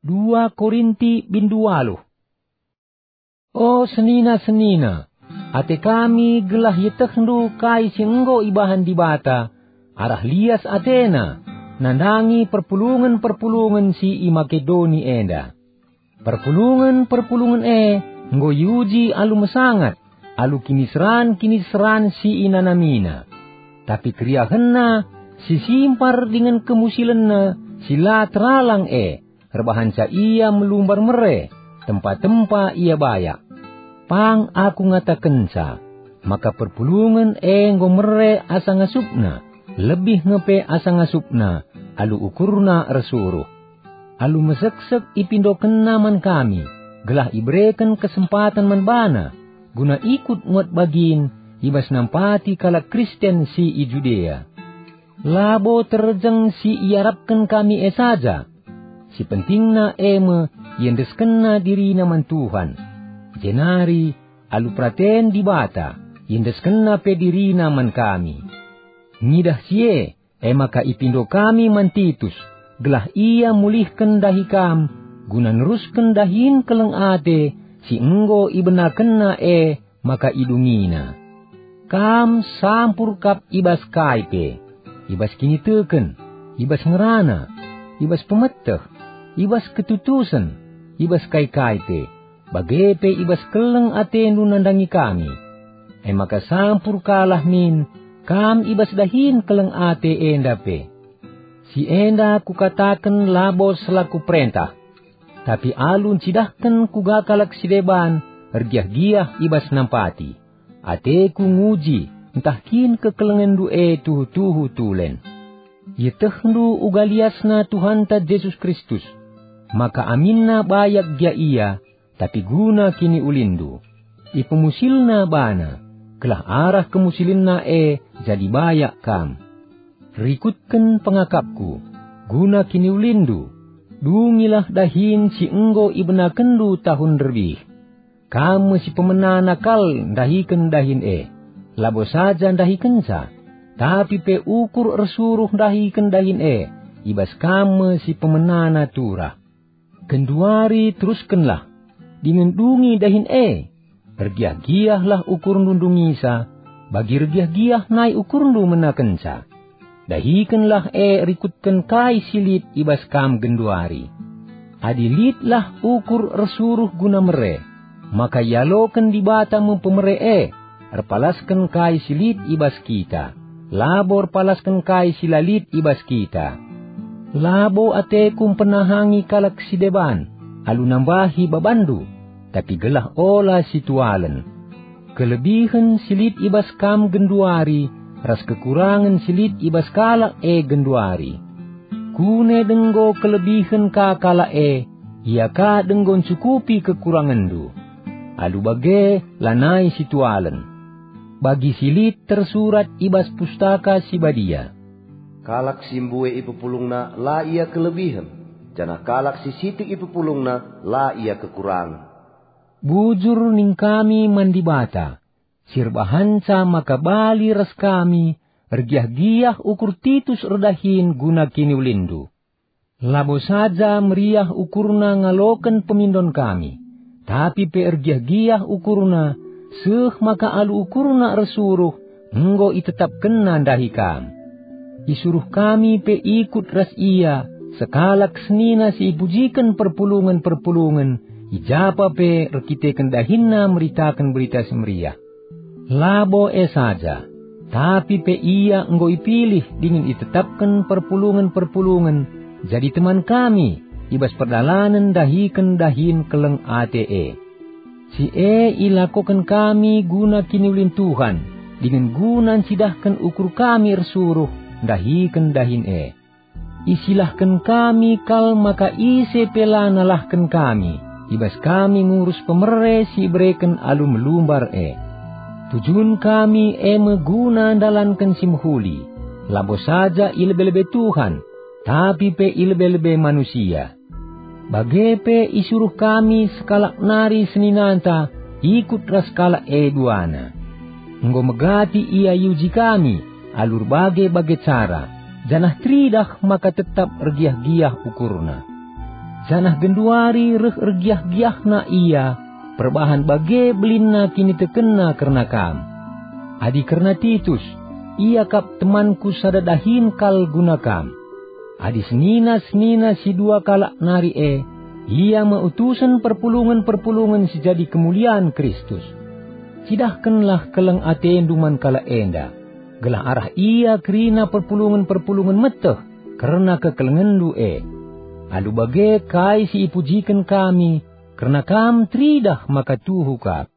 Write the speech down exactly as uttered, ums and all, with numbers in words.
Dua Korinti bindu waluh. O senina-senina, ate kami gelah ietehndu kai si enggo ibahan Dibata arah lias ateNa nandangi perpulungen-perpulungen si i Makedoni enda. Perpulungen-perpulungen e enggo iuji alu mesangat, alu kiniseran-kiniseran si inanamina. Tapi keriahenna si simpar dingen kemusilenna si la teralang e erbahanca ia melumbar mere, tempa-tempa ia bayak. Pang aku ngatakenca, maka perpulungen e enggo mere asa ngasupna, lebih nge pe asa ngasupna, alu ukurna ersuruh. Alu meseksek ipindokenna man kami, gelah ibereken kesempaten man bana, guna ikut muat bagin i bas nampati kalak Kristen si i Judea. Labo terjeng si iarapken kami e saja. Si pentingna e me iendeskenna dirina man Tuhan, jenari alu peraten Dibata iendeskenna pe dirina man kami. Ngidah si e, e maka ipindo kami man Titus, gelah ia mulihken dahi kam, guna nerusken dahin keleng ate si enggo ibenakenna e maka idungina. Kam sampur kap i bas kai pe, i bas kiniteken, i bas ngerana, i bas pemeteh, i bas ketutusen, i bas kai-kai pe, bage pe i bas keleng atendu nandangi kami. E maka sampur kalah min kam i bas dahin keleng ate enda pe. Si enda kukataken labo selaku perentah, tapi alu ncidahken kuga kalak si deban ergiah-giah i bas nampati. Ateku nguji ntah kin kekelengenndu e tuhu-tuhu tulen. Ietehndu uga liasna Tuhanta Jesus Kristus, maka aminna bayak gia ia, tapi guna kiniulinndu. IpemusilNa bana, gelah arah kemusilenNa e jadi bayak kam. Rikutken pengakapku, guna kiniulinndu, dungilah dahin si enggo ibenakenndu tahun nderbih. Kam me si pemenana kal ndahiken dahin e, labo saja ndahikenca, tapi pe ukur ersuruh ndahiken dahin e, i bas kam me si pemenana turah. Genduari teruskenlah, dingen dungi dahin e. Ergiah-giahlah ukurndu ndungisa, bagi ergiah-giah nai ukurndu menakenca. Dahikenlah e rikutken kai si lit i bas kam genduari. Adi litlah ukur ersuruh guna mere, maka ialoken Dibata me pemere e, erpalasken kai si lit i bas kita, labo erpalasken kai si la lit i bas kita. Labo ateku mpenahangi kalak si deban alu nambahi babanndu, tapi gelah ola situalen. Kelebihen si lit i bas kam genduari ras kekurangen si lit i bas kalak e genduari. Kune denggo kelebihen ka kalak e, ia ka denggo ncukupi kekurangenndu. Alu bage lanai situalen. Bagi si lit tersurat i bas Pustaka Si Badia, "Kalak si mbue ipepulungna la ia kelebihen, janah kalak si sitik ipepulungna la ia kekurangen." Bujur nina kami man Dibata, si erbahanca maka bali ras kami ergiah-giah ukur Titus erdahin guna kiniulinndu. Labo saja meriah ukurna ngaloken pemindon kami, tapi pe ergiah-giah ukurna seh maka alu ukurna ersuruh enggo itetapkenna ndahi kam. Isuruh kami pe ikut ras ia sekalak senina si ipujiken perpulungen-perpulungen i japa pe erkiteken dahinna meritaken Berita Si Meriah. Labo e saja, tapi pe ia enggo ipilih dingen itetapken perpulungen-perpulungen jadi teman kami i bas perdalanen ndahiken dahin keleng ate e. Si e ilakoken kami guna kiniulin Tuhan dingen guna ncidahken ukur kami ersuruh ndahiken dahin e. Isilahken kami kal maka ise pe la nalahken kami, i bas kami ngurus pemere si ibereken alu melumbar e. Tujun kami e me guna ndalanken si mehuli, labo saja i lebe-lebe Tuhan, tapi pe i lebe-lebe manusia. Bage pe isuruh kami sekalak nari seninanta ikut ras kalak e duana. Enggo megati ia iuji kami alu erbage-bage cara, janah teridah maka tetap ergiah-giah ukurna. janah genduari reh ergiah-giahna ia, perbahan bage belinna kinitekenna kerna kam. Adi kerna Titus, ia kap temanku sada dahin kal guna kam. Adi senina-senina si dua kalak nari e, ia me utusen perpulungen-perpulungen si jadi kemulian Kristus. Cidahkenlah keleng atendu man kalak enda, gelah arah ia kerina perpulungen-perpulungen meteh kerna kekelengenndu e. Alu bage kai si ipujiken kami kerna kam teridah maka tuhu kap.